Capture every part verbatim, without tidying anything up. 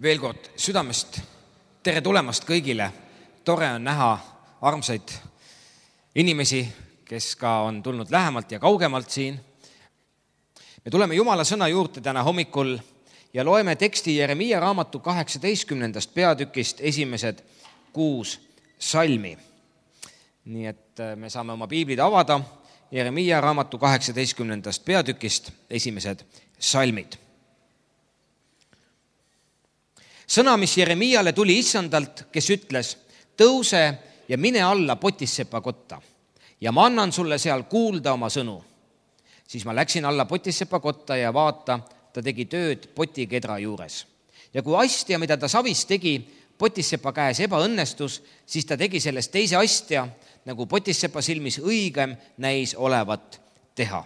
Veel kord südamest tere tulemast kõigile. Tore on näha armsaid inimesi, kes ka on tulnud lähemalt ja kaugemalt siin. Me tuleme Jumala sõna juurde täna hommikul ja loeme teksti Jeremiia raamatu kaheksateistkümnendast peatükist esimesed kuus salmi. Nii et me saame oma piiblid avada Jeremiia raamatu kaheksateistkümnendast peatükist esimesed salmid. Sõna, mis Jeremiale tuli issandalt, kes ütles, tõuse ja mine alla Potissepa kotta ja ma annan sulle seal kuulda oma sõnu. Siis ma läksin alla Potissepa kotta ja vaata, ta tegi tööd potikedra juures. Ja kui astja, mida ta savis tegi, Potissepa käes ebaõnnestus, siis ta tegi sellest teise astja, nagu Potissepa silmis õigem näis olevat teha.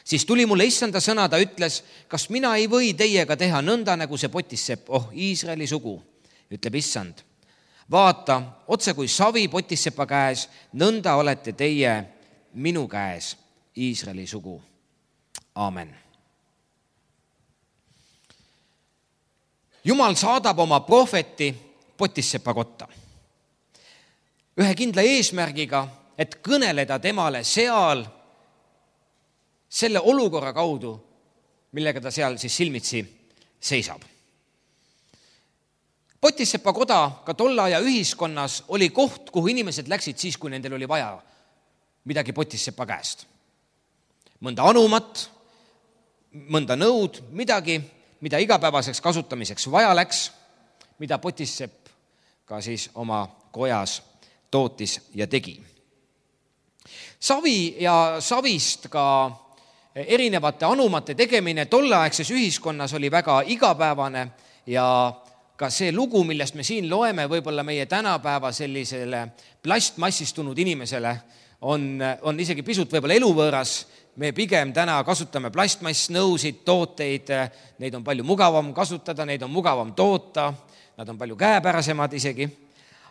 Siis tuli mulle issanda sõna, ta ütles, kas mina ei või teiega teha nõnda, nagu see Potissepp, oh Iisraeli sugu, ütleb issand. Vaata, otse kui savi Potissepa käes, nõnda olete teie minu käes, Iisraeli sugu. Aamen. Jumal saadab oma prohveti Potissepa kotta. Ühe kindla eesmärgiga, et kõneleda temale seal selle olukorra kaudu, millega ta seal siis silmitsi seisab. Potissepa koda ka tolle aja ühiskonnas oli koht, kuhu inimesed läksid siis, kui nendel oli vaja midagi Potissepa käest. Mõnda anumat, mõnda nõud, midagi, mida igapäevaseks kasutamiseks vaja läks, mida Potissepp ka siis oma kojas tootis ja tegi. Savi ja savist ka erinevate anumate tegemine tolleaegses ühiskonnas oli väga igapäevane ja ka see lugu, millest me siin loeme, võib-olla meie tänapäeva sellisele plastmassistunud inimesele on, on isegi pisut võib-olla eluvõõras. Me pigem täna kasutame plastmassnõusid, tooteid, neid on palju mugavam kasutada, neid on mugavam toota, nad on palju käepärasemad isegi.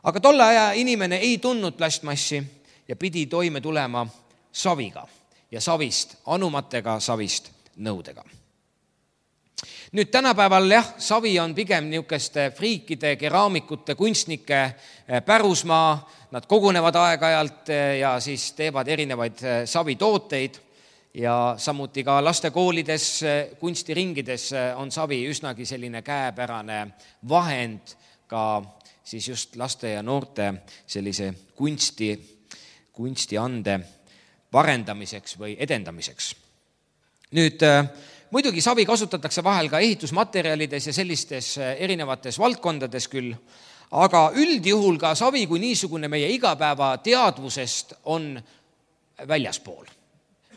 Aga tolle aja inimene ei tundnud plastmassi ja pidi toime tulema saviga. Ja savist, anumatega, savist nõudega. Nüüd tänapäeval jah, savi on pigem niisugeste friikide, keraamikute, kunstnike pärusmaa. Nad kogunevad aeg-ajalt ja siis teevad erinevaid savitooteid ja samuti ka lastekoolides, kunstiringides on savi üsnagi selline käepärane vahend ka siis just laste ja noorte sellise kunsti, kunstiande parendamiseks või edendamiseks. Nüüd muidugi savi kasutatakse vahel ka ehitusmaterjalides ja sellistes erinevates valdkondades küll, aga üldjuhul ka savi kui niisugune meie igapäeva teadvusest on väljaspool.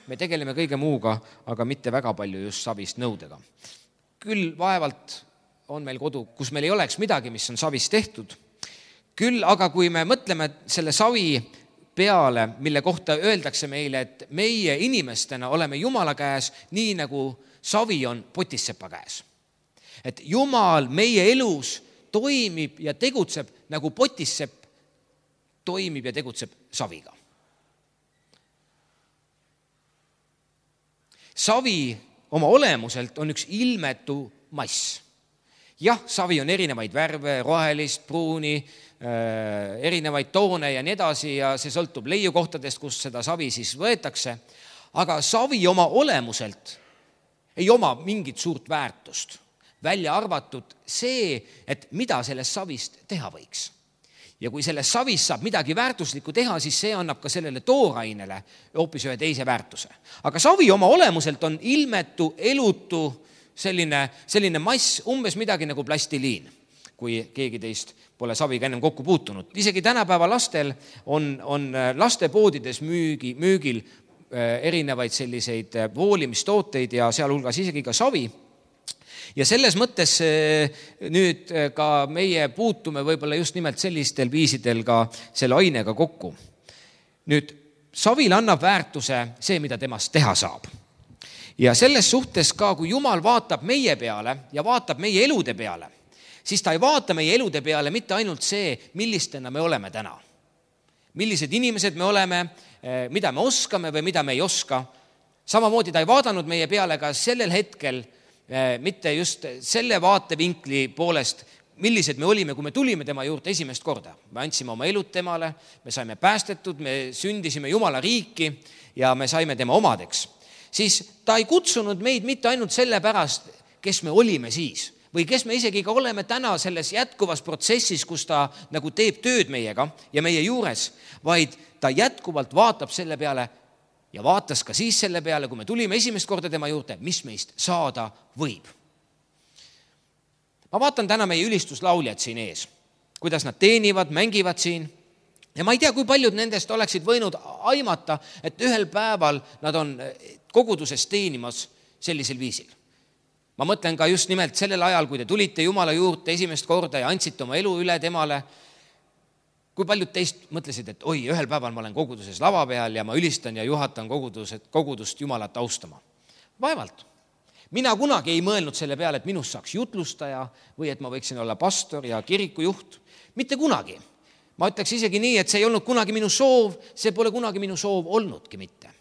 Me tegeleme kõige muuga, aga mitte väga palju just savist nõudega. Küll vaevalt on meil kodu, kus meil ei oleks midagi, mis on savist tehtud. Küll aga kui me mõtleme selle savi peale, mille kohta öeldakse meile, et meie inimestena oleme Jumala käes nii nagu savi on Potissepa käes. Et Jumal meie elus toimib ja tegutseb nagu Potissepp toimib ja tegutseb saviga. Savi oma olemuselt on üks ilmetu mass. Jah, savi on erinevaid värve, rohelist, pruuni, erinevaid toone ja nii edasi ja see sõltub leiukohtadest, kus seda savi siis võetakse. Aga savi oma olemuselt ei oma mingit suurt väärtust. Välja arvatud see, et mida sellest savist teha võiks. Ja kui sellest savist saab midagi väärtuslikku teha, siis see annab ka sellele toorainele hoopis ühe teise väärtuse. Aga savi oma olemuselt on ilmetu, elutu, selline, selline mass, umbes midagi nagu plastiliin, kui keegi teist pole saviga ennem kokku puutunud. Isegi tänapäeva lastel on, on lastepoodides müügi, müügil erinevaid selliseid voolimistooteid ja sealhulgas isegi ka savi. Ja selles mõttes nüüd ka meie puutume võib-olla just nimelt sellistel viisidel ka selle ainega kokku. Nüüd savil annab väärtuse see, mida temast teha saab. Ja selles suhtes ka, kui Jumal vaatab meie peale ja vaatab meie elude peale, siis ta ei vaata meie elude peale mitte ainult see, millistena me oleme täna. Millised inimesed me oleme, mida me oskame või mida me ei oska. Samamoodi ta ei vaadanud meie peale ka sellel hetkel mitte just selle vaatevinkli poolest, millised me olime, kui me tulime tema juurde esimest korda. Me andsime oma elud temale, me saime päästetud, me sündisime Jumala riiki ja me saime tema omadeks. Siis ta ei kutsunud meid mitte ainult selle pärast, kes me olime siis või kes me isegi ka oleme täna selles jätkuvas protsessis, kus ta nagu teeb tööd meiega ja meie juures, vaid ta jätkuvalt vaatab selle peale ja vaatas ka siis selle peale, kui me tulime esimest korda tema juurde, mis meist saada võib. Ma vaatan täna meie ülistuslauljad siin ees, kuidas nad teenivad, mängivad siin ja ma ei tea, kui paljud nendest oleksid võinud aimata, et ühel päeval nad on koguduses teenimas sellisel viisil. Ma mõtlen ka just nimelt sellel ajal, kui te tulite Jumala juurde esimest korda ja andsite oma elu üle temale, kui paljud teist mõtlesid, et oi, ühel päeval ma olen koguduses lava peal ja ma ülistan ja juhatan kogudust, kogudust Jumalat austama. Vaevalt. Mina kunagi ei mõelnud selle peale, et minust saaks jutlustaja või et ma võiksin olla pastor ja kirikujuht. Mitte kunagi. Ma ütleks isegi nii, et see ei olnud kunagi minu soov, see pole kunagi minu soov olnudki mitte.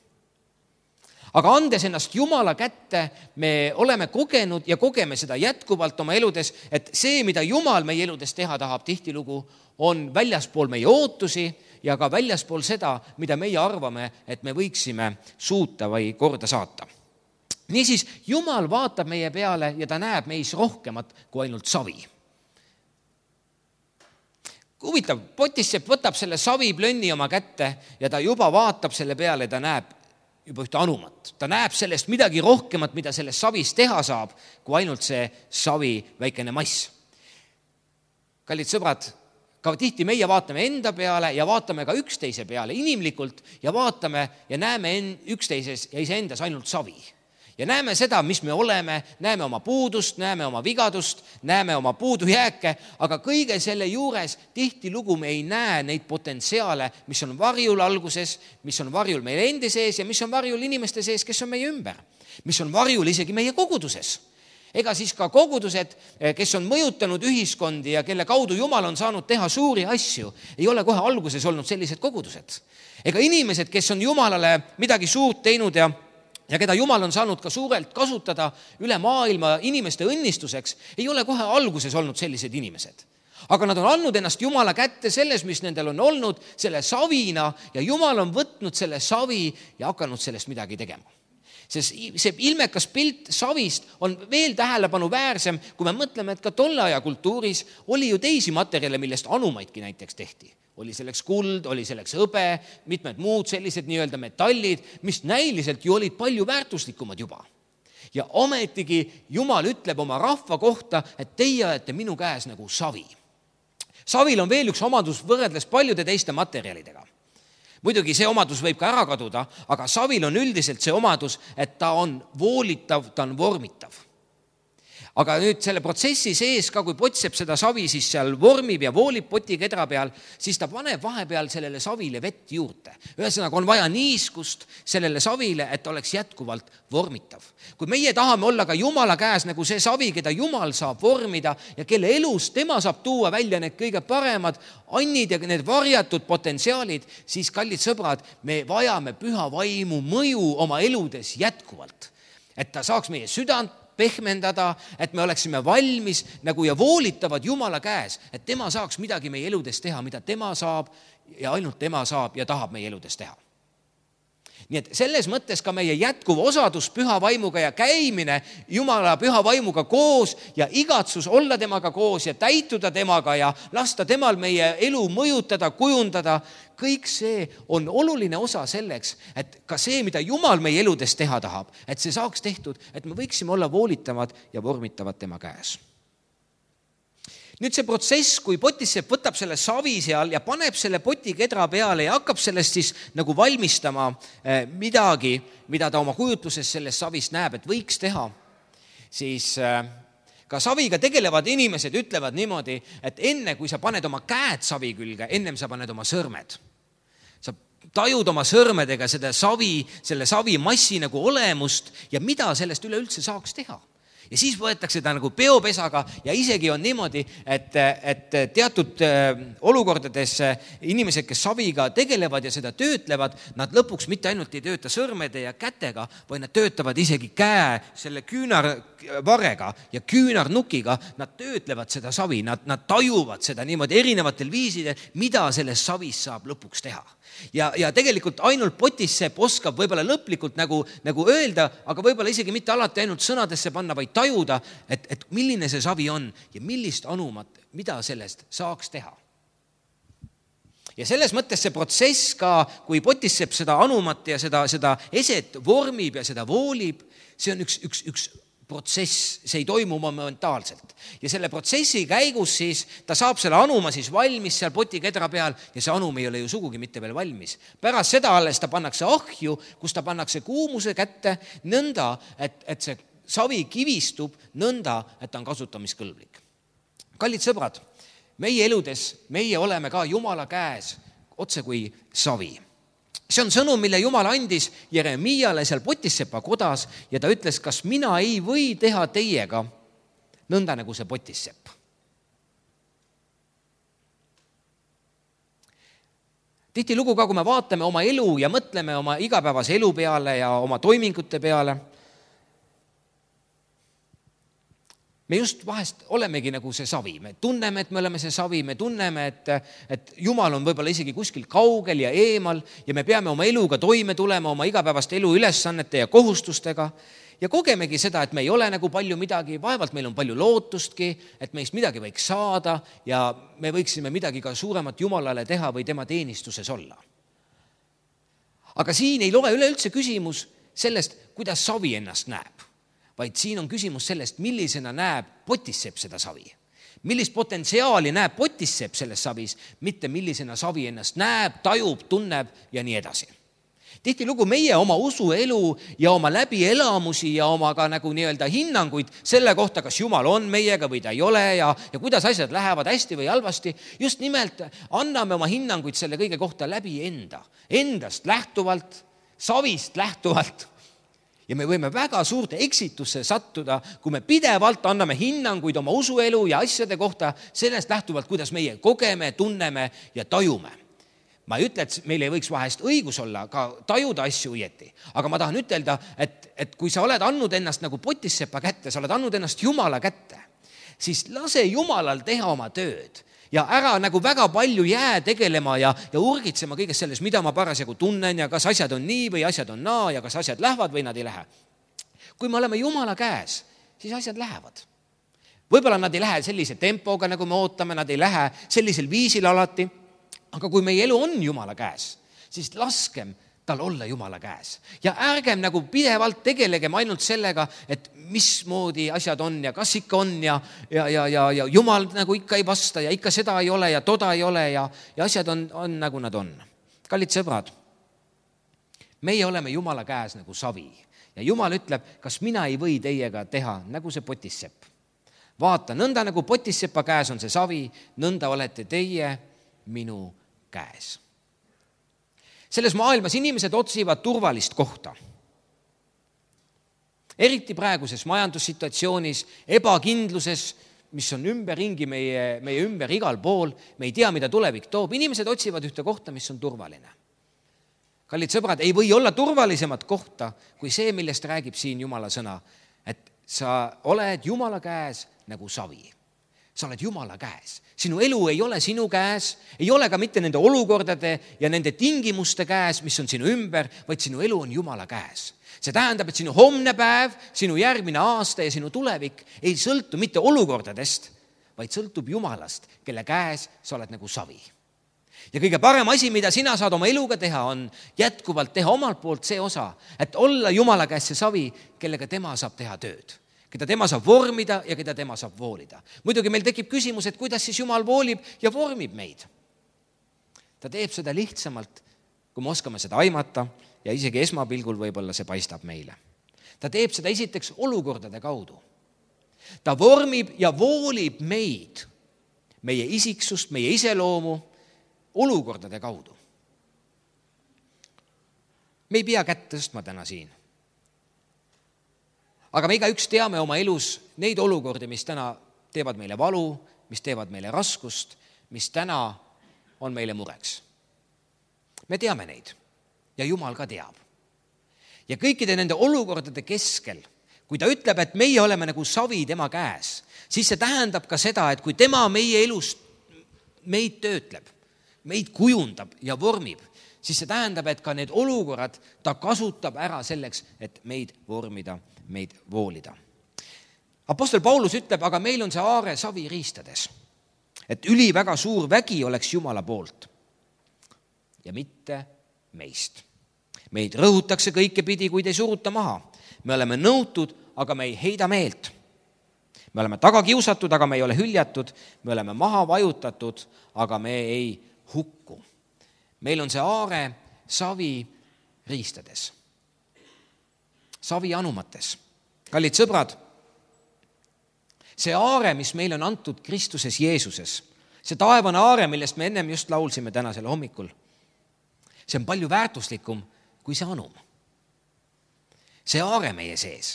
Aga andes ennast Jumala kätte, me oleme kogenud ja kogeme seda jätkuvalt oma eludes, et see, mida Jumal meie eludes teha tahab tihtilugu, on väljaspool meie ootusi ja ka väljaspool seda, mida meie arvame, et me võiksime suuta või korda saata. Niisiis, Jumal vaatab meie peale ja ta näeb meis rohkemat kui ainult savi. Huvitav, Potissepp võtab selle saviplönni oma kätte ja ta juba vaatab selle peale ja ta näeb juba ühte anumat. Ta näeb sellest midagi rohkemat, mida sellest savist teha saab, kui ainult see savi väikene mass. Kallid sõbrad, ka tihti meie vaatame enda peale ja vaatame ka üksteise peale inimlikult ja vaatame ja näeme üksteises ja iseendas ainult savi. Ja näeme seda, mis me oleme, näeme oma puudust, näeme oma vigadust, näeme oma puudujääke, aga kõige selle juures tihtilugu me ei näe neid potentsiaale, mis on varjul alguses, mis on varjul meie endi sees ja mis on varjul inimeste sees, kes on meie ümber, mis on varjul isegi meie koguduses. Ega siis ka kogudused, kes on mõjutanud ühiskondi ja kelle kaudu Jumal on saanud teha suuri asju, ei ole kohe alguses olnud sellised kogudused. Ega inimesed, kes on Jumalale midagi suurt teinud ja ja keda Jumal on saanud ka suurelt kasutada üle maailma inimeste õnnistuseks, ei ole kohe alguses olnud sellised inimesed. Aga nad on andnud ennast Jumala kätte selles, mis nendel on olnud, selle savina ja Jumal on võtnud selle savi ja hakanud sellest midagi tegema. Sest see ilmekas pilt savist on veel tähelepanu väärsem, kui me mõtleme, et ka tolle aja kultuuris oli ju teisi materjale, millest anumaidki näiteks tehti. Oli selleks kuld, oli selleks hõbe, mitmed muud sellised nii-öelda metallid, mis näiliselt ju olid palju väärtuslikumad juba. Ja ometigi Jumal ütleb oma rahva kohta, et teie olete minu käes nagu savi. Savil on veel üks omadus võrreldes paljude teiste materjalidega. Muidugi see omadus võib ka ära kaduda, aga savil on üldiselt see omadus, et ta on voolitav, ta on vormitav. Aga nüüd selle protsessi sees ka, kui Potissepp seda savi siis seal vormib ja voolib potikedra peal, siis ta paneb vahepeal sellele savile vett juurde. Ühesõnaga on vaja niiskust sellele savile, et oleks jätkuvalt vormitav. Kui meie tahame olla ka Jumala käes nagu see savi, keda Jumal saab vormida ja kelle elus tema saab tuua välja need kõige paremad annid ja need varjatud potentsiaalid, siis kallid sõbrad, me vajame püha vaimu mõju oma eludes jätkuvalt. Et ta saaks meie südant pehmendada, et me oleksime valmis nagu ja voolitavad Jumala käes, et tema saaks midagi meie eludes teha, mida tema saab ja ainult tema saab ja tahab meie eludes teha. Nii et selles mõttes ka meie jätkuv osadus püha vaimuga ja käimine Jumala püha vaimuga koos ja igatsus olla temaga koos ja täituda temaga ja lasta temal meie elu mõjutada, kujundada, kõik see on oluline osa selleks, et ka see, mida Jumal meie eludes teha tahab, et see saaks tehtud, et me võiksime olla voolitavad ja vormitavad tema käes. Nüüd see protsess, kui Potissepp võtab selle savi seal ja paneb selle potikedra peale ja hakkab sellest siis nagu valmistama midagi, mida ta oma kujutluses sellest savist näeb, et võiks teha, siis ka saviga tegelevad inimesed ütlevad niimoodi, et enne kui sa paned oma käed savi külge, ennem sa paned oma sõrmed. Sa tajud oma sõrmedega seda savi, selle savi massi nagu olemust ja mida sellest üleüldse saaks teha. ja siis võetakse ta nagu peopesaga ja isegi on niimoodi, et, et teatud olukordades inimesed, kes saviga tegelevad ja seda töötlevad, nad lõpuks mitte ainult ei tööta sõrmede ja kätega, vaid nad töötavad isegi käe selle küünarvarega ja küünarnukiga, nad töötlevad seda savi, nad, nad tajuvad seda niimoodi erinevatel viisidel, mida sellest savist saab lõpuks teha. Ja, ja tegelikult ainult potissepp oskab võib-olla lõplikult nagu, nagu öelda, aga võib-olla isegi mitte alati ainult sõnadesse panna, vaid tajuda, et, et milline see savi on ja millist anumat, mida sellest saaks teha. Ja selles mõttes see protsess ka, kui potissepp seda anumat ja seda, seda eset vormib ja seda voolib, see on üks, üks, üks protsess, see ei toimu momentaalselt. Ja selle protsessi käigus siis ta saab selle anuma siis valmis seal potikedra peal ja see anum ei ole ju sugugi mitte veel valmis. Pärast seda alles ta pannakse ahju, kus ta pannakse kuumuse kätte nõnda, et, et see savi kivistub nõnda, et ta on kasutamiskõlblik. Kallid sõbrad, meie eludes, meie oleme ka Jumala käes otse kui savi. See on sõnum, mille Jumal andis Jeremiale seal potissepa kodas ja ta ütles, kas mina ei või teha teiega nõnda nagu see potissepp. Tihtilugu ka, kui me vaatame oma elu ja mõtleme oma igapäevase elu peale ja oma toimingute peale, me just vahest olemegi nagu see savi, me tunneme, et me oleme see savi, me tunneme, et, et Jumal on võib-olla isegi kuskil kaugel ja eemal ja me peame oma eluga toime tulema, oma igapäevast elu ülesannete ja kohustustega ja kogemegi seda, et me ei ole nagu palju midagi, vaevalt meil on palju lootustki, et meist midagi võiks saada ja me võiksime midagi ka suuremat Jumalale teha või tema teenistuses olla. Aga siin ei loe üleüldse küsimus sellest, kuidas savi ennast näeb, vaid siin on küsimus sellest, millisena näeb potissepp seda savi. Millist potentsiaali näeb potissepp selles savis, mitte millisena savi ennast näeb, tajub, tunneb ja nii edasi. Tihtilugu meie oma usuelu ja oma läbielamusi ja oma ka nagu nii-öelda hinnanguid selle kohta, kas Jumal on meiega või ta ei ole ja, ja kuidas asjad lähevad hästi või halvasti, just nimelt anname oma hinnanguid selle kõige kohta läbi enda, endast lähtuvalt, savist lähtuvalt. Ja me võime väga suurte eksitusse sattuda, kui me pidevalt anname hinnanguid oma usuelu ja asjade kohta sellest lähtuvalt, kuidas meie kogeme, tunneme ja tajume. Ma ei ütle, et meil ei võiks vahest õigus olla ka tajuda asju õieti, aga ma tahan ütelda, et, et kui sa oled andnud ennast nagu potissepa kätte, sa oled andnud ennast Jumala kätte, siis lase Jumalal teha oma tööd. Ja ära nagu väga palju jää tegelema ja, ja urgitsema kõigest selles, mida ma parasjagu tunnen ja kas asjad on nii või asjad on naa ja kas asjad lähevad või nad ei lähe. Kui me oleme Jumala käes, siis asjad lähevad. Võib-olla nad ei lähe sellise tempoga, nagu me ootame, nad ei lähe sellisel viisil alati, aga kui meie elu on Jumala käes, siis laskem tal olla Jumala käes. Ja ärgem nagu pidevalt tegelegem ainult sellega, et mismoodi asjad on ja kas ikka on ja, ja, ja, ja, ja Jumal nagu ikka ei vasta ja ikka seda ei ole ja toda ei ole ja, ja asjad on, on nagu nad on. Kallid sõbrad, meie oleme Jumala käes nagu savi ja Jumal ütleb, kas mina ei või teiega teha nagu see potissepp. Vaata, nõnda nagu potissepa käes on see savi, nõnda olete teie minu käes. Selles maailmas inimesed otsivad turvalist kohta. Eriti praeguses majandussituatsioonis, ebakindluses, mis on ümberringi meie, meie ümber igal pool, me ei tea, mida tulevik toob. Inimesed otsivad ühte kohta, mis on turvaline. Kallid sõbrad, ei või olla turvalisemat kohta kui see, millest räägib siin Jumala sõna, et sa oled Jumala käes nagu savi. Sa oled Jumala käes. Sinu elu ei ole sinu käes, ei ole ka mitte nende olukordade ja nende tingimuste käes, mis on sinu ümber, vaid sinu elu on Jumala käes. See tähendab, et sinu homne päev, sinu järgmine aasta ja sinu tulevik ei sõltu mitte olukordadest, vaid sõltub Jumalast, kelle käes sa oled nagu savi. Ja kõige parem asi, mida sina saad oma eluga teha, on jätkuvalt teha omalt poolt see osa, et olla Jumala käes see savi, kellega tema saab teha tööd. Keda tema saab vormida ja keda tema saab voolida. Muidugi meil tekib küsimus, et kuidas siis Jumal voolib ja vormib meid. Ta teeb seda lihtsamalt, kui me oskame seda aimata ja isegi esmapilgul võib-olla see paistab meile. Ta teeb seda esiteks olukordade kaudu. Ta vormib ja voolib meid, meie isiksust, meie iseloomu olukordade kaudu. Me ei pea kätt tõstma täna siin. aga me igaüks teame oma elus neid olukordi, mis täna teevad meile valu, mis teevad meile raskust, mis täna on meile mureks. Me teame neid ja Jumal ka teab. Ja kõikide nende olukordade keskel, kui ta ütleb, et meie oleme nagu savi tema käes, siis see tähendab ka seda, et kui tema meie elus meid töötleb, meid kujundab ja vormib, siis see tähendab, et ka need olukorrad ta kasutab ära selleks, et meid vormida, meid voolida. Apostel Paulus ütleb, aga meil on see aare savi riistades, et üli väga suur vägi oleks Jumala poolt ja mitte meist. Meid rõhutakse kõike pidi, kuid ei suruta maha. Me oleme nõutud, aga me ei heida meelt. Me oleme taga kiusatud, aga me ei ole hüljatud. Me oleme maha vajutatud, aga me ei hukku. Meil on see aare savi riistades, savi anumates. Kallid sõbrad, see aare, mis meil on antud Kristuses Jeesuses, see taevane aare, millest me ennem just laulsime tänasel hommikul, see on palju väärtuslikum kui see anum. See aare meie sees.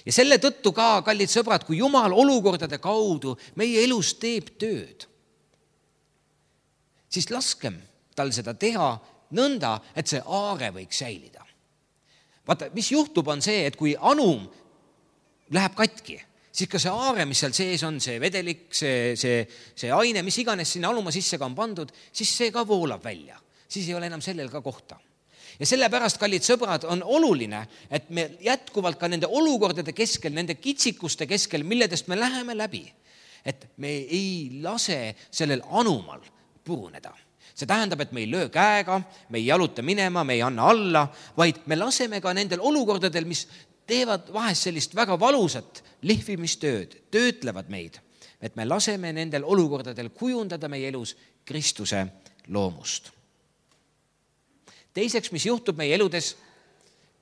Ja selle tõttu ka, kallid sõbrad, kui Jumal olukordade kaudu meie elus teeb tööd, siis laskem tal seda teha nõnda, et see aare võiks säilida. Vaata, mis juhtub on see, et kui anum läheb katki, siis ka see aare, mis seal sees on, see vedelik, see, see, see aine, mis iganes sinna anuma sisse ka on pandud, siis see ka voolab välja. Siis ei ole enam sellel ka kohta. Ja sellepärast, kallid sõbrad, on oluline, et me jätkuvalt ka nende olukordade keskel, nende kitsikuste keskel, milledest me läheme läbi, et me ei lase sellel anumal puruneda. See tähendab, et me ei löö käega, me ei jaluta minema, me ei anna alla, vaid me laseme ka nendel olukordadel, mis teevad vahest sellist väga valusat lihvimistööd, töötlevad meid, et me laseme nendel olukordadel kujundada meie elus Kristuse loomust. Teiseks, mis juhtub meie eludes,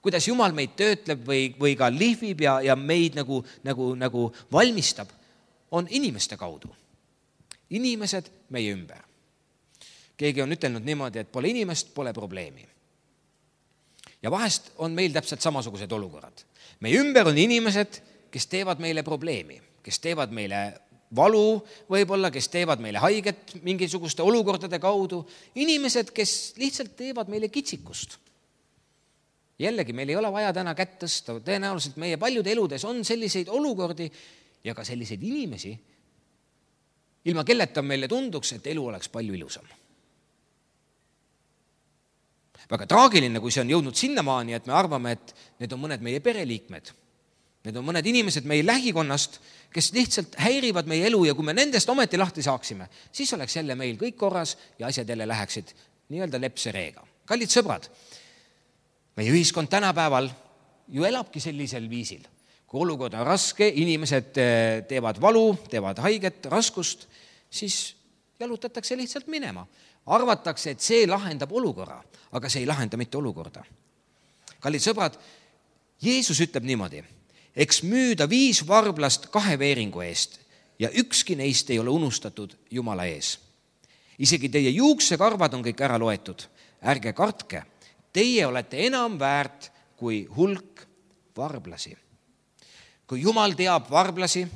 kuidas Jumal meid töötleb või, või ka lihvib ja, ja meid nagu, nagu, nagu valmistab, on inimeste kaudu. Inimesed meie ümber. Keegi on ütelnud niimoodi, et pole inimest, pole probleemi. Ja vahest on meil täpselt samasugused olukorrad. Meie ümber on inimesed, kes teevad meile probleemi, kes teevad meile valu võib-olla, kes teevad meile haiget mingisuguste olukordade kaudu. Inimesed, kes lihtsalt teevad meile kitsikust. Jällegi, meil ei ole vaja täna kätt tõsta. Tõenäoliselt meie paljude eludes on selliseid olukordi ja ka selliseid inimesi, ilma kelleta meile tunduks, et elu oleks palju ilusam. Väga traagiline, kui see on jõudnud sinnamaani, et me arvame, et need on mõned meie pereliikmed. Need on mõned inimesed meie lähikonnast, kes lihtsalt häirivad meie elu ja kui me nendest ometi lahti saaksime, siis oleks jälle meil kõik korras ja asjad jälle läheksid nii-öelda lepse reega. Kallid sõbrad, meie ühiskond tänapäeval ju elabki sellisel viisil. Kui olukord on raske, inimesed teevad valu, teevad haiget, raskust, siis jalutatakse lihtsalt minema. Arvatakse, et see lahendab olukorra, aga see ei lahenda mitte olukorda. Kallid sõbrad, Jeesus ütleb niimoodi, eks müüda viis varblast kahe veeringu eest ja ükski neist ei ole unustatud Jumala ees. Isegi teie juuksekarvad on kõik ära loetud. Ärge kartke, teie olete enam väärt kui hulk varblasi. Kui Jumal teab varblasi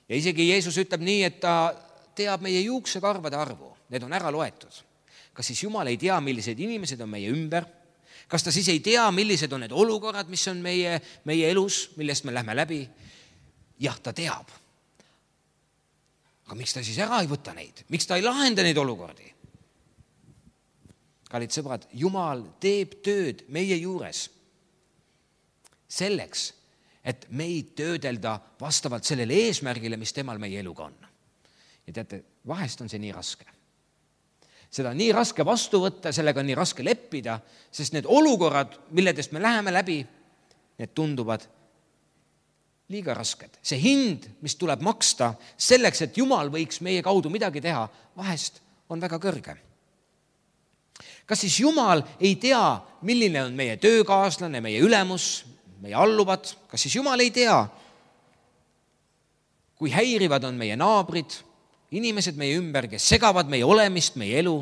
ja isegi Jeesus ütleb nii, et ta teab meie juuksekarvade arvu, need on ära loetud. Kas siis Jumal ei tea, millised inimesed on meie ümber? Kas ta siis ei tea, millised on need olukorrad, mis on meie, meie elus, millest me lähme läbi? Jah, ta teab. Aga miks ta siis ära ei võta neid? Miks ta ei lahenda neid olukordi? Kallid sõbrad, Jumal teeb tööd meie juures selleks, et meid töödelda vastavalt sellele eesmärgile, mis temal meie eluga on. Ja teate, vahest on see nii raske. Seda on nii raske vastu võtta, sellega on nii raske leppida, sest need olukorrad, milledest me läheme läbi, need tunduvad liiga rasked. See hind, mis tuleb maksta selleks, et Jumal võiks meie kaudu midagi teha, vahest on väga kõrge. Kas siis Jumal ei tea, milline on meie töökaaslane, meie ülemus, meie alluvad? Kas siis Jumal ei tea, kui häirivad on meie naabrid, inimesed meie ümber, kes segavad meie olemist, meie elu?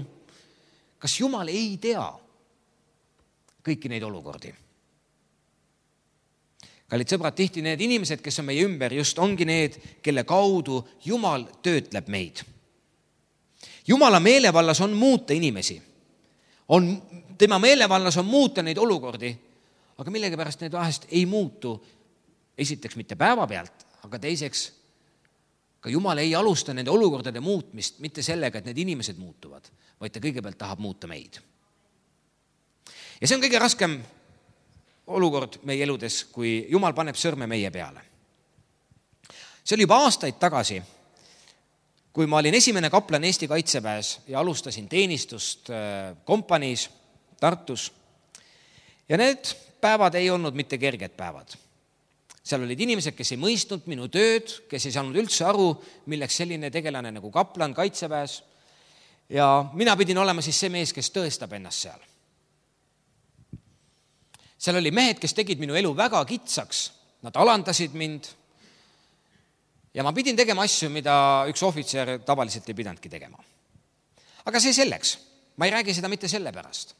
Kas Jumal ei tea kõiki neid olukordi? kallid sõbrad, tihti need inimesed, kes on meie ümber, just ongi need, kelle kaudu Jumal töötleb meid. Jumala meelevallas on muuta inimesi. On, tema meelevallas on muuta neid olukordi, aga millegipärast need vahest ei muutu. Esiteks mitte päeva pealt, aga teiseks ka Jumal ei alusta nende olukordade muutmist mitte sellega, et need inimesed muutuvad, vaid ta kõigepealt tahab muuta meid. Ja see on kõige raskem olukord meie eludes, kui Jumal paneb sõrme meie peale. See oli juba aastaid tagasi, kui ma olin esimene kaplan Eesti Kaitseväes ja alustasin teenistust kompaniis Tartus. Ja need päevad ei olnud mitte kerged päevad. Seal olid inimesed, kes ei mõistnud minu tööd, kes ei saanud üldse aru, milleks selline tegelane nagu kaplan Kaitseväes. Ja mina pidin olema siis see mees, kes tõestab ennast seal. Seal oli mehed, kes tegid minu elu väga kitsaks. Nad alandasid mind. Ja ma pidin tegema asju, mida üks ohvitser tavaliselt ei pidanudki tegema. Aga see selleks. Ma ei räägi seda mitte selle pärast.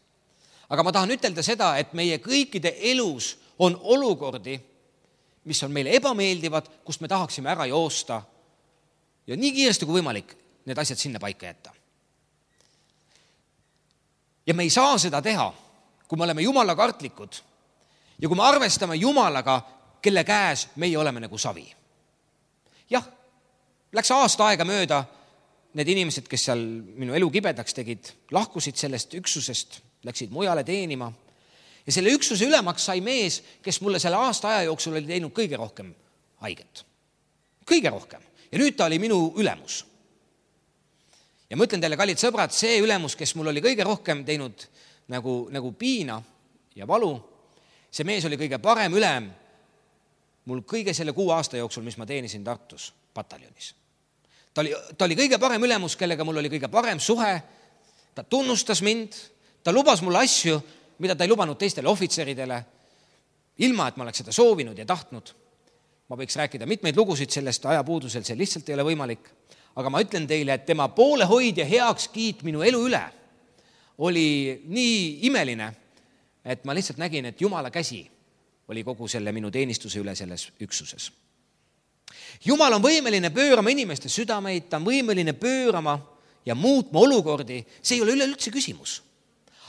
Aga ma tahan ütelda seda, et meie kõikide elus on olukordi, mis on meile ebameeldivad, kust me tahaksime ära joosta ja nii kiiresti kui võimalik need asjad sinna paika jätta. Ja me ei saa seda teha, kui me oleme Jumala kartlikud ja kui me arvestame Jumalaga, kelle käes meie oleme nagu savi. Jah, läks aasta aega mööda, need inimesed, kes seal minu elu kibedaks tegid, lahkusid sellest üksusest, läksid mujale teenima. Ja selle üksuse ülemaks sai mees, kes mulle selle aasta aja jooksul oli teinud kõige rohkem haiget. Kõige rohkem. Ja nüüd ta oli minu ülemus. Ja ma ütlen teile, kallid sõbrad, see ülemus, kes mul oli kõige rohkem teinud nagu, nagu piina ja valu, see mees oli kõige parem ülem mul kõige selle kuu aasta jooksul, mis ma teenisin Tartus pataljonis. Ta oli, ta oli kõige parem ülemus, kellega mul oli kõige parem suhe. Ta tunnustas mind, ta lubas mulle asju, mida ta ei lubanud teistele ohvitseridele, ilma et ma oleks seda soovinud ja tahtnud. Ma võiks rääkida mitmeid lugusid sellest ajapuudusel, see lihtsalt ei ole võimalik. Aga ma ütlen teile, et tema poolehoid ja heaks kiit minu elu üle oli nii imeline, et ma lihtsalt nägin, et Jumala käsi oli kogu selle minu teenistuse üle selles üksuses. Jumal on võimeline pöörama inimeste südameid, ta on võimeline pöörama ja muutma olukordi, see ei ole üleüldse küsimus.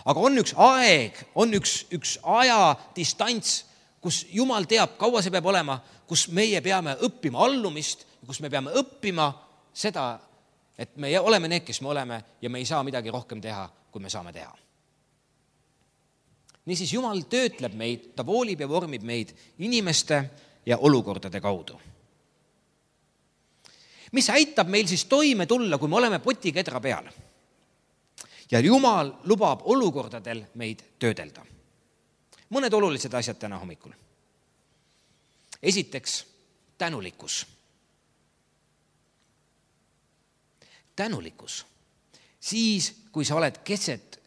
Aga on üks aeg, on üks, üks aja distants, kus Jumal teab, kaua see peab olema, kus meie peame õppima allumist, kus me peame õppima seda, et me oleme need, kes me oleme ja me ei saa midagi rohkem teha, kui me saame teha. Niisiis Jumal töötleb meid, ta voolib ja vormib meid inimeste ja olukordade kaudu. Mis aitab meil siis toime tulla, kui me oleme potikedra peal? Ja Jumal lubab olukordadel meid töödelda. Mõned olulised asjad täna hommikul. Esiteks, tänulikkus. Tänulikkus. Siis, kui sa oled keset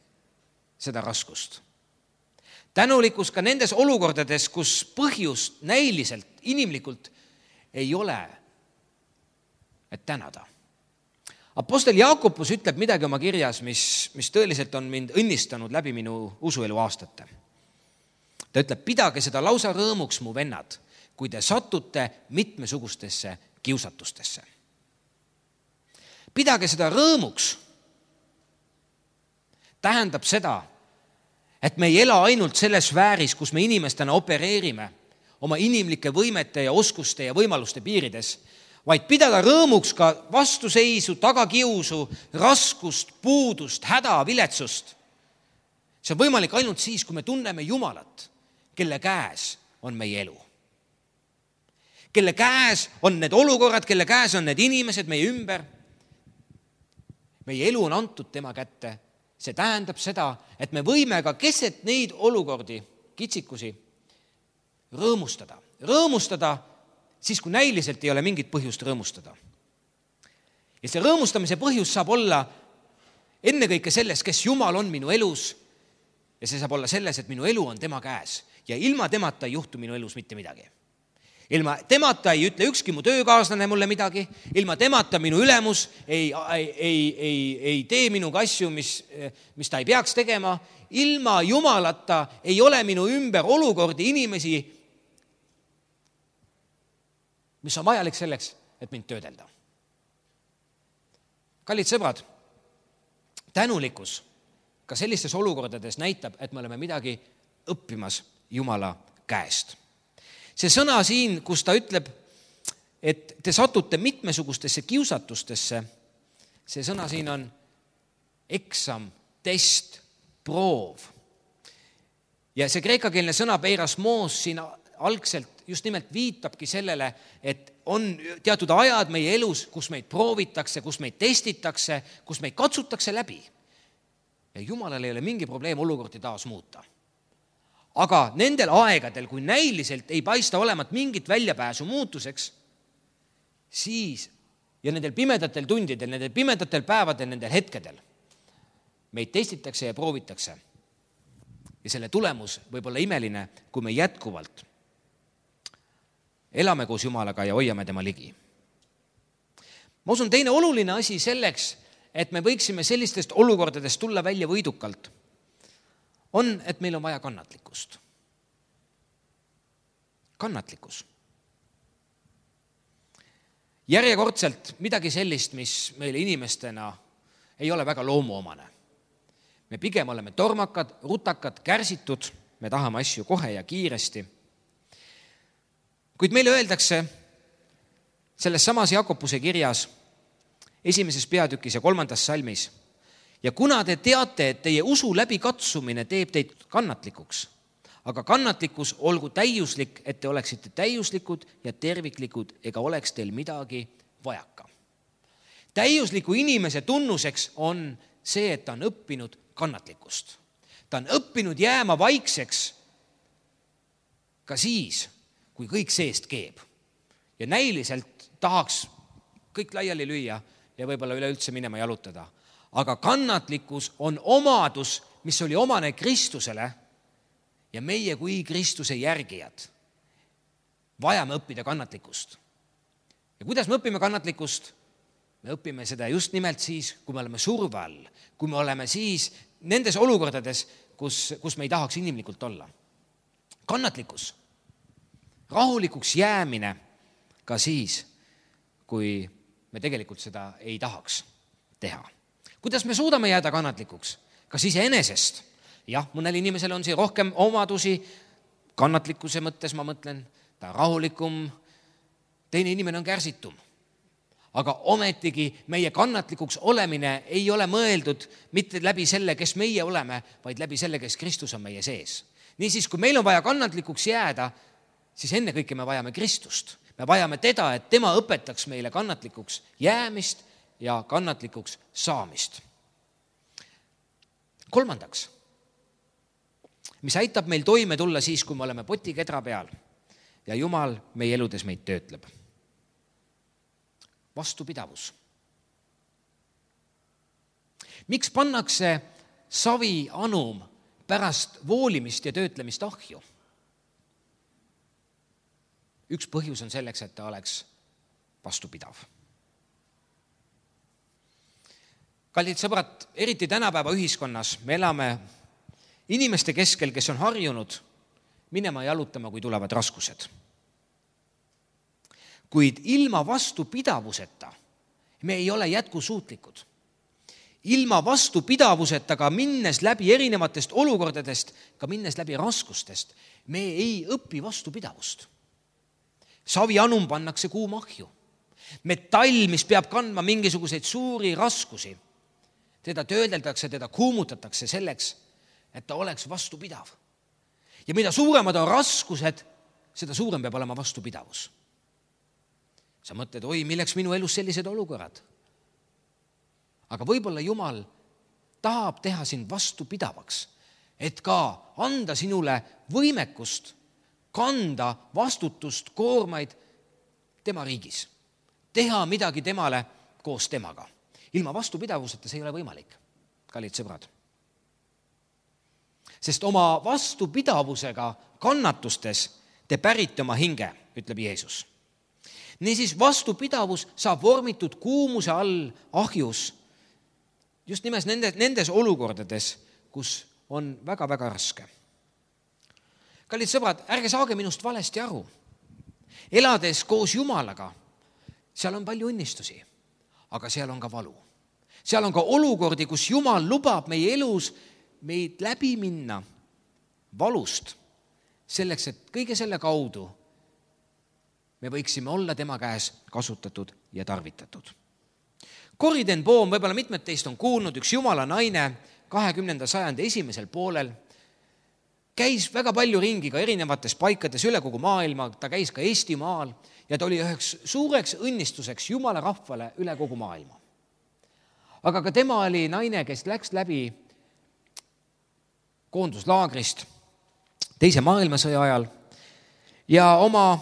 seda raskust. Tänulikkus ka nendes olukordades, kus põhjust näiliselt, inimlikult ei ole, et tänada. Apostel Jaakobus ütleb midagi oma kirjas, mis, mis tõeliselt on mind õnnistanud läbi minu usuelu aastate. Ta ütleb, pidage seda lausa rõõmuks, mu vennad, kui te satute mitmesugustesse kiusatustesse. Pidage seda rõõmuks tähendab seda, et me ei ela ainult selles sfääris, kus me inimestena opereerime oma inimlike võimete ja oskuste ja võimaluste piirides, vaid pidada rõõmuks ka vastuseisu, tagakiusu, raskust, puudust, häda, viletsust. See on võimalik ainult siis, kui me tunneme Jumalat, kelle käes on meie elu. Kelle käes on need olukorrad, kelle käes on need inimesed meie ümber. Meie elu on antud tema kätte. See tähendab seda, et me võime ka keset neid olukordi, kitsikusi, rõõmustada. Rõõmustada siis, kui näiliselt ei ole mingit põhjust rõõmustada. Ja see rõõmustamise põhjus saab olla ennekõike selles, kes Jumal on minu elus, ja see saab olla selles, et minu elu on tema käes ja ilma temata ei juhtu minu elus mitte midagi. Ilma temata ei ütle ükski mu töökaaslane mulle midagi, ilma temata minu ülemus ei, ei, ei, ei, ei tee minuga asju, mis, mis ta ei peaks tegema. Ilma Jumalata ei ole minu ümber olukordi inimesi, mis on vajalik selleks, et mind töödelda. Kallid sõbrad, tänulikkus ka sellistes olukordades näitab, et me oleme midagi õppimas Jumala käest. See sõna siin, kus ta ütleb, et te satute mitmesugustesse kiusatustesse, see sõna siin on eksam, test, proov. Ja see kreekakeelne sõna peirasmos siin algselt just nimelt viitabki sellele, et on teatud ajad meie elus, kus meid proovitakse, kus meid testitakse, kus meid katsutakse läbi. Ja Jumalal ei ole mingi probleem olukordi taas muuta. Aga nendel aegadel, kui näiliselt ei paista olemat mingit väljapääsu muutuseks, siis ja nendel pimedatel tundidel, nendel pimedatel päevadel, nendel hetkedel meid testitakse ja proovitakse. Ja selle tulemus võib olla imeline, kui me jätkuvalt elame koos Jumalaga ja hoiame tema ligi. Ma usun, teine oluline asi selleks, et me võiksime sellistest olukordadest tulla välja võidukalt, on, et meil on vaja kannatlikkust. Kannatlikkus. Järjekordselt midagi sellist, mis meile inimestena ei ole väga loomuomane. Me pigem oleme tormakad, rutakad, kärsitud, me tahame asju kohe ja kiiresti. Kuid meile öeldakse selles samas Jakobuse kirjas esimeses peatükis ja kolmandas salmis, ja kuna te teate, et teie usu läbi katsumine teeb teid kannatlikuks, aga kannatlikkus olgu täiuslik, et te oleksite täiuslikud ja terviklikud ega oleks teil midagi vajaka. Täiusliku inimese tunnuseks on see, et ta on õppinud kannatlikkust. Ta on õppinud jääma vaikseks ka siis, kui kõik seest keeb. Ja näiliselt tahaks kõik laiali lüüa ja võib-olla üleüldse minema jalutada. Aga kannatlikkus on omadus, mis oli omane Kristusele ja meie kui Kristuse järgijad vajame õppida kannatlikkust. Ja kuidas me õpime kannatlikkust? Me õpime seda just nimelt siis, kui me oleme surve all, kui me oleme siis nendes olukordades, kus, kus me ei tahaks inimlikult olla. Kannatlikkus, rahulikuks jäämine ka siis, kui me tegelikult seda ei tahaks teha. Kuidas me suudame jääda kannatlikuks? Kas iseenesest? Jah, mõnel inimesel on siin rohkem omadusi, kannatlikkuse mõttes ma mõtlen, ta on rahulikum, teine inimene on kärsitum. Aga ometigi meie kannatlikuks olemine ei ole mõeldud mitte läbi selle, kes meie oleme, vaid läbi selle, kes Kristus on meie sees. Niisiis, kui meil on vaja kannatlikuks jääda, siis ennekõike me vajame Kristust. Me vajame teda, et tema õpetaks meile kannatlikuks jäämist ja kannatlikuks saamist. Kolmandaks, mis aitab meil toime tulla siis, kui me oleme potikedra peal ja Jumal meie eludes meid töötleb. Vastupidavus. Miks pannakse savi anum pärast voolimist ja töötlemist ahju? Üks põhjus on selleks, et ta oleks vastupidav. Kallid sõbrad, eriti tänapäeva ühiskonnas me elame inimeste keskel, kes on harjunud minema jalutama, kui tulevad raskused. Kuid ilma vastupidavuseta me ei ole jätkusuutlikud. Ilma vastupidavuseta ka minnes läbi erinevatest olukordadest, ka minnes läbi raskustest, me ei õpi vastupidavust. Savi anum pannakse kuumahju. Metall, mis peab kandma mingisuguseid suuri raskusi, teda töödeldakse, teda kuumutatakse selleks, et ta oleks vastupidav. Ja mida suuremad on raskused, seda suurem peab olema vastupidavus. Sa mõtled, oi, milleks minu elus sellised olukorrad? Aga võib-olla Jumal tahab teha sind vastupidavaks, et ka anda sinule võimekust kanda vastutust, koormaid tema riigis. Teha midagi temale koos temaga. Ilma vastupidavuseta see ei ole võimalik, kallid sõbrad. Sest oma vastupidavusega kannatustes te pärite oma hinge, ütleb Jeesus. Niisiis vastupidavus saab vormitud kuumuse all ahjus just nimelt nendes, nendes olukordades, kus on väga-väga raske. Kallid sõbrad, ärge saage minust valesti aru. elades koos Jumalaga, seal on palju õnnistusi, aga seal on ka valu. Seal on ka olukordi, kus Jumal lubab meie elus meid läbi minna valust, selleks, et kõige selle kaudu me võiksime olla tema käes kasutatud ja tarvitatud. Corrie ten Boom, võib-olla mitmed teist on kuulnud, üks Jumala naine kahekümnenda sajandi esimesel poolel, käis väga palju ringi ka erinevates paikades üle kogu maailma, ta käis ka Eestimaal ja ta oli üheks suureks õnnistuseks Jumala rahvale üle kogu maailma. Aga ka tema oli naine, kes läks läbi koonduslaagrist teise maailmasõja ajal ja oma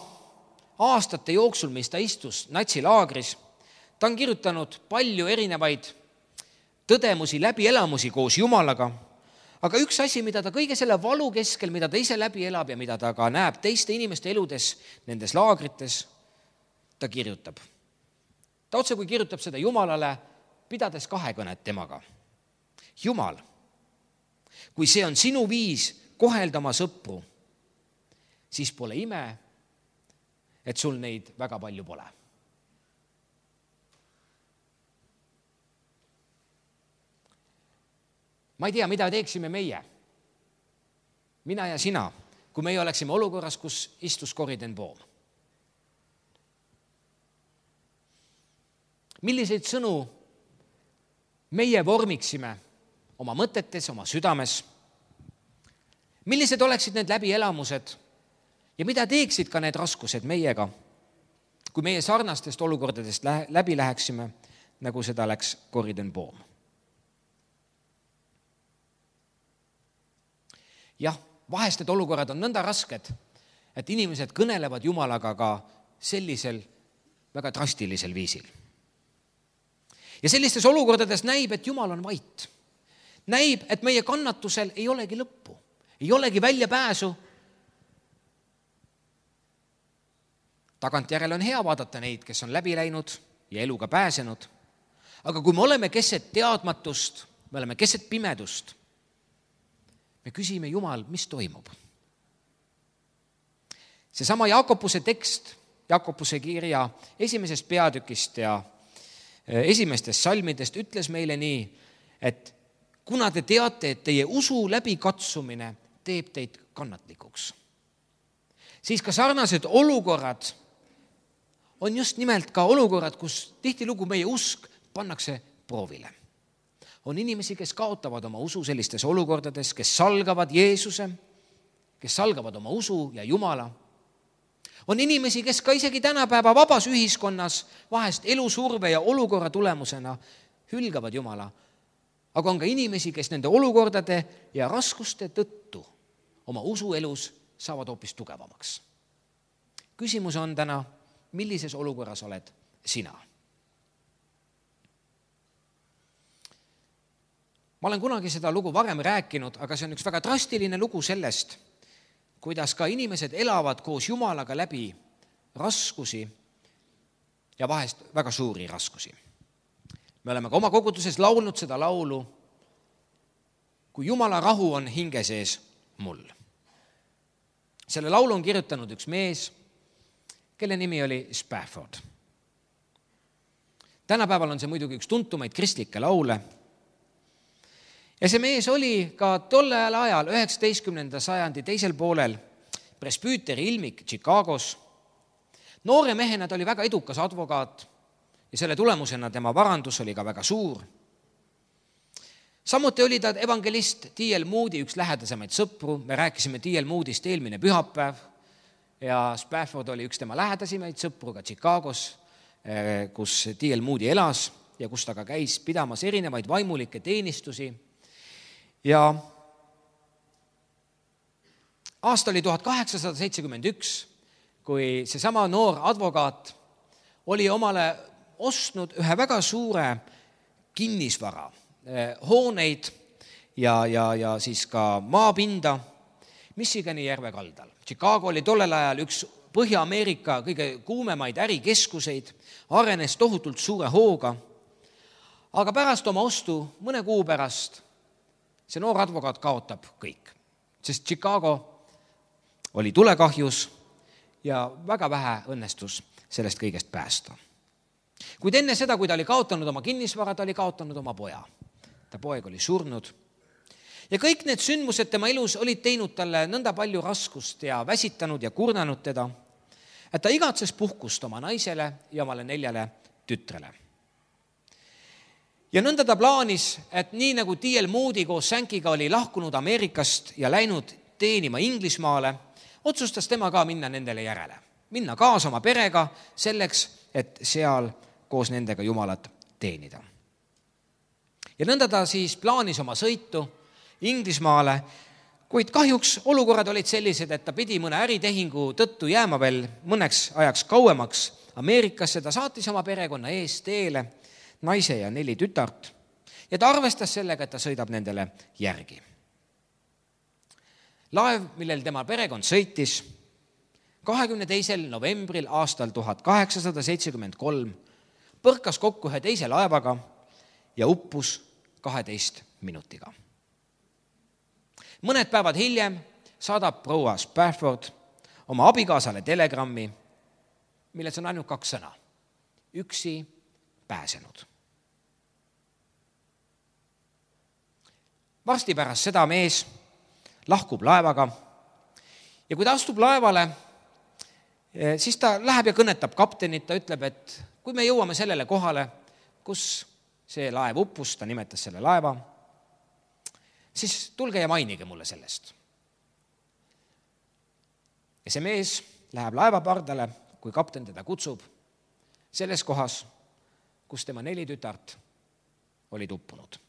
aastate jooksul, mis ta istus natsilaagris, ta on kirjutanud palju erinevaid tõdemusi, läbielamusi koos Jumalaga, aga üks asi, mida ta kõige selle valu keskel, mida ta ise läbi elab ja mida ta ka näeb teiste inimeste eludes nendes laagrites, ta kirjutab. Ta otse kui kirjutab seda Jumalale, pidades kahekõnet temaga. Jumal, kui see on sinu viis kohelda oma sõpru, siis pole ime, et sul neid väga palju pole. Ma ei tea, mida teeksime meie, mina ja sina, kui meie oleksime olukorras, kus istus Corrie ten Boom. Milliseid sõnu meie vormiksime oma mõtetes, oma südames? Millised oleksid need läbielamused ja mida teeksid ka need raskused meiega, kui meie sarnastest olukordadest läbi läheksime, nagu seda läks Corrie ten Boom? Jah, vahest need olukorrad on nõnda rasked, et inimesed kõnelevad Jumalaga ka sellisel väga drastilisel viisil. Ja sellistes olukordades näib, et Jumal on vait. Näib, et meie kannatusel ei olegi lõppu, ei olegi välja pääsu. Tagantjärele on hea vaadata neid, kes on läbi läinud ja eluga pääsenud. Aga kui me oleme keset teadmatust, me oleme keset pimedust, me küsime Jumal, mis toimub. Seesama Jaakobuse tekst, Jaakobuse kirja esimesest peatükist ja esimestest salmidest ütles meile nii, et kuna te teate, et teie usu läbikatsumine teeb teid kannatlikuks, siis ka sarnased olukorrad on just nimelt ka olukorrad, kus tihtilugu meie usk pannakse proovile. On inimesi, kes kaotavad oma usu sellistes olukordades, kes salgavad Jeesuse, kes salgavad oma usu ja Jumala. On inimesi, kes ka isegi tänapäeva vabas ühiskonnas vahest elusurve ja olukorra tulemusena hülgavad Jumala. Aga on ka inimesi, kes nende olukordade ja raskuste tõttu oma usuelus saavad hoopis tugevamaks. Küsimus on täna, millises olukorras oled sina? Ma olen kunagi seda lugu varem rääkinud, aga see on üks väga drastiline lugu sellest, kuidas ka inimesed elavad koos Jumalaga läbi raskusi ja vahest väga suuri raskusi. Me oleme ka oma koguduses laulnud seda laulu, kui Jumala rahu on hinge sees mul. Selle laulu on kirjutanud üks mees, kelle nimi oli Spafford. Tänapäeval on see muidugi üks tuntumaid kristlikke laule. Ja see mees oli ka tollel ajal üheksateistkümnenda sajandi teisel poolel presbüüteri ilmik Chicagos. Noore mehena ta oli väga edukas advokaat ja selle tulemusena tema varandus oli ka väga suur. Samuti oli ta evangelist D L Moody üks lähedasemaid sõpru. Me rääkisime D L Moodist eelmine pühapäev ja Spafford oli üks tema lähedasimaid sõpru ka Chicagos, kus D L Moody elas ja kus ta ka käis pidamas erinevaid vaimulikke teenistusi. Ja aasta oli tuhat kaheksasada seitsekümmend üks, kui seesama noor advokaat oli omale ostnud ühe väga suure kinnisvara, hooneid ja, ja, ja siis ka maapinda Michigani järve kaldal. Chicago oli tollel ajal üks Põhja-Ameerika kõige kuumemaid ärikeskuseid, arenes tohutult suure hooga, aga pärast oma ostu mõne kuu pärast see noor advokaat kaotab kõik, sest Chicago oli tulekahjus ja väga vähe õnnestus sellest kõigest päästa. Kuid enne seda, kui ta oli kaotanud oma kinnisvara, ta oli kaotanud oma poja. Ta poeg oli surnud. Ja kõik need sündmused tema elus olid teinud talle nõnda palju raskust ja väsitanud ja kurnanud teda, et ta igatses puhkust oma naisele ja omale neljale tütrele. Ja nõnda ta plaanis, et nii nagu D L Moody koos Sänkiga oli lahkunud Ameerikast ja läinud teenima Inglismaale, otsustas tema ka minna nendele järele. Minna kaasa oma perega selleks, et seal koos nendega Jumalat teenida. Ja nõnda ta siis plaanis oma sõitu Inglismaale, kuid kahjuks olukorrad olid sellised, et ta pidi mõne äritehingu tõttu jääma veel mõneks ajaks kauemaks Ameerikasse. Ta saatis oma perekonna ees teele naise ja neli tütart ja ta arvestas sellega, et ta sõidab nendele järgi. Laev, millel tema perekond sõitis, kahekümne teisel novembril aastal tuhat kaheksasada seitsekümmend kolm põrkas kokku ühe teise laevaga ja uppus kaheteist minutiga. Mõned päevad hiljem saadab proua Spafford oma abikaasale telegrammi, milles on ainult kaks sõna. Üksi pääsenud. Varsti pärast seda mees lahkub laevaga ja kui ta astub laevale, siis ta läheb ja kõnetab kaptenit, ta ütleb, et kui me jõuame sellele kohale, kus see laev uppus, ta nimetas selle laeva, siis tulge ja mainige mulle sellest. Ja see mees läheb laeva pardale, kui kapten teda kutsub, selles kohas, kus tema neli tütart olid uppunud.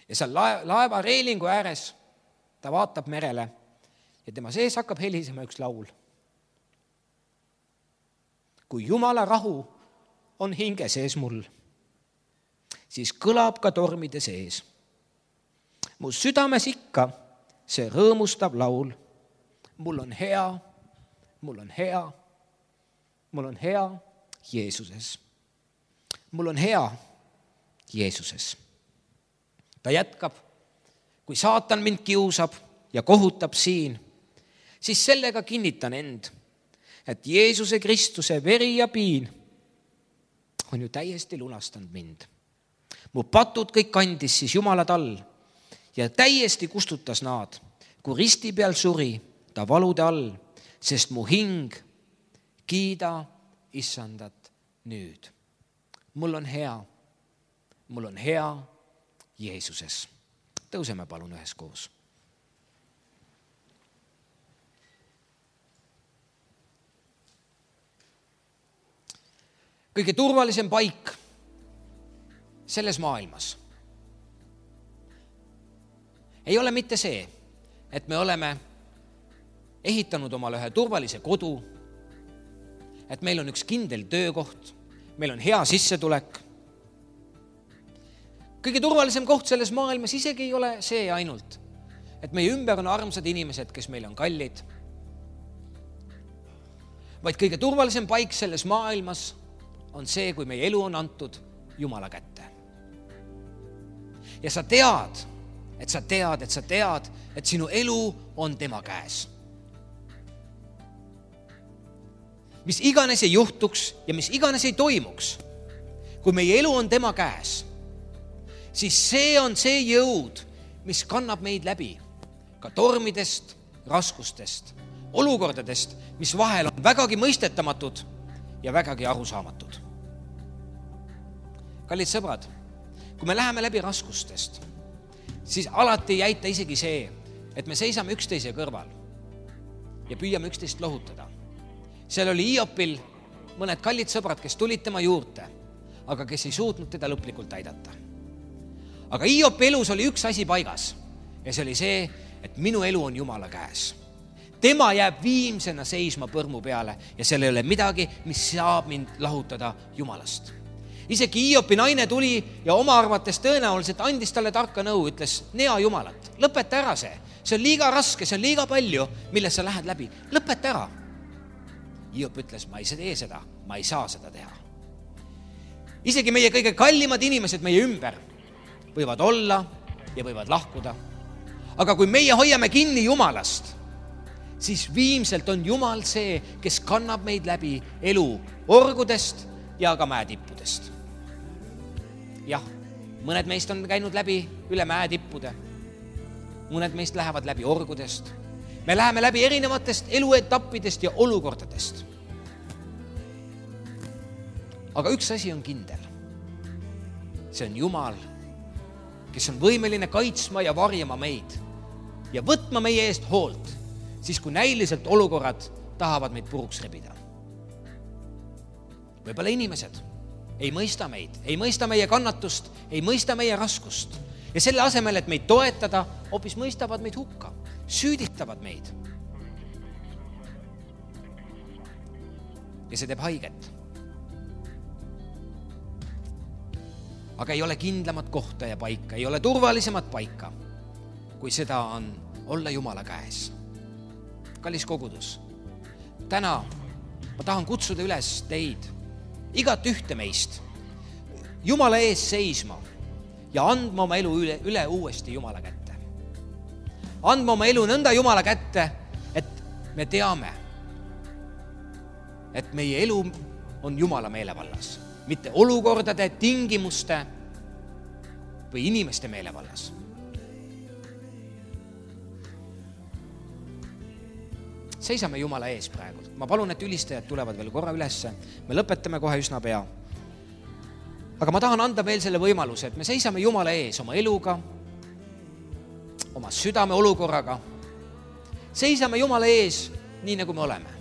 Ja seal laeva reelingu ääres ta vaatab merele ja tema sees hakkab helisema üks laul. Kui Jumala rahu on hinge sees mul, siis kõlab ka tormide sees. Mu südames ikka see rõõmustav laul. Mul on hea, mul on hea, mul on hea Jeesuses. Mul on hea Jeesuses. Ta jätkab, kui saatan mind kiusab ja kohutab siin, siis sellega kinnitan end, et Jeesuse Kristuse veri ja piin on ju täiesti lunastanud mind. Mu patud kõik kandis siis Jumala tall ja täiesti kustutas nad, kui risti peal suri ta valude all, sest mu hing kiida issandat nüüd. Mul on hea, mul on hea Jeesuses. Tõuseme palun üheskoos. Kõige turvalisem paik selles maailmas ei ole mitte see, et me oleme ehitanud omale ühe turvalise kodu, et meil on üks kindel töökoht, meil on hea sissetulek. Kõige turvalisem koht selles maailmas isegi ei ole see ainult, et meie ümber on armsad inimesed, kes meil on kallid, vaid kõige turvalisem paik selles maailmas on see, kui meie elu on antud Jumala kätte. Ja sa tead, et sa tead, et sa tead, et sinu elu on tema käes. Mis iganes ei juhtuks ja mis iganes ei toimuks, kui meie elu on tema käes, siis see on see jõud, mis kannab meid läbi ka tormidest, raskustest, olukordadest, mis vahel on vägagi mõistetamatud ja vägagi arusaamatud. Kallid sõbrad, kui me läheme läbi raskustest, siis alati ei jäita isegi see, et me seisame üksteise kõrval ja püüame üksteist lohutada. Seal oli Hiopil mõned kallid sõbrad, kes tulid tema juurde, aga kes ei suutnud teda lõplikult aidata. Aga Hiopi elus oli üks asi paigas ja see oli see, et minu elu on Jumala käes. Tema jääb viimsena seisma põrmu peale ja seal ei ole midagi, mis saab mind lahutada Jumalast. Isegi Hiopi naine tuli ja oma arvates tõenäoliselt andis talle tarka nõu, ütles, nea Jumalat, lõpeta ära see. See on liiga raske, see on liiga palju, milles sa lähed läbi. Lõpeta ära. Hiop ütles, ma ei tee seda, ma ei saa seda teha. Isegi meie kõige kallimad inimesed meie ümber võivad olla ja võivad lahkuda. Aga kui meie hoiame kinni Jumalast, siis viimselt on Jumal see, kes kannab meid läbi elu orgudest ja ka mäetippudest. Jah, mõned meist on käinud läbi üle mäetippude, mõned meist lähevad läbi orgudest. Me läheme läbi erinevatest eluetappidest ja olukordadest. Aga üks asi on kindel. See on Jumal, kes on võimeline kaitsma ja varjama meid ja võtma meie eest hoolt, siis kui näiliselt olukorrad tahavad meid puruks rebida. Võibolla inimesed ei mõista meid, ei mõista meie kannatust, ei mõista meie raskust. Ja selle asemel, et meid toetada, hoopis mõistavad meid hukka, süüditavad meid. Ja see teeb haiget. Aga ei ole kindlamat kohta ja paika, ei ole turvalisemat paika, kui seda on olla Jumala käes. Kallis kogudus, täna ma tahan kutsuda üles teid, igat ühte meist, Jumala ees seisma ja andma oma elu üle, üle uuesti Jumala kätte. Andma oma elu nõnda Jumala kätte, et me teame, et meie elu on Jumala meelevallas, mitte olukordade, tingimuste või inimeste meelevallas. Seisame Jumala ees praegu. Ma palun, et ülistajad tulevad veel korra ülesse. Me lõpetame kohe üsna pea. Aga ma tahan anda veel selle võimaluse, et me seisame Jumala ees oma eluga, oma südame olukorraga. Seisame Jumala ees nii, nagu me oleme.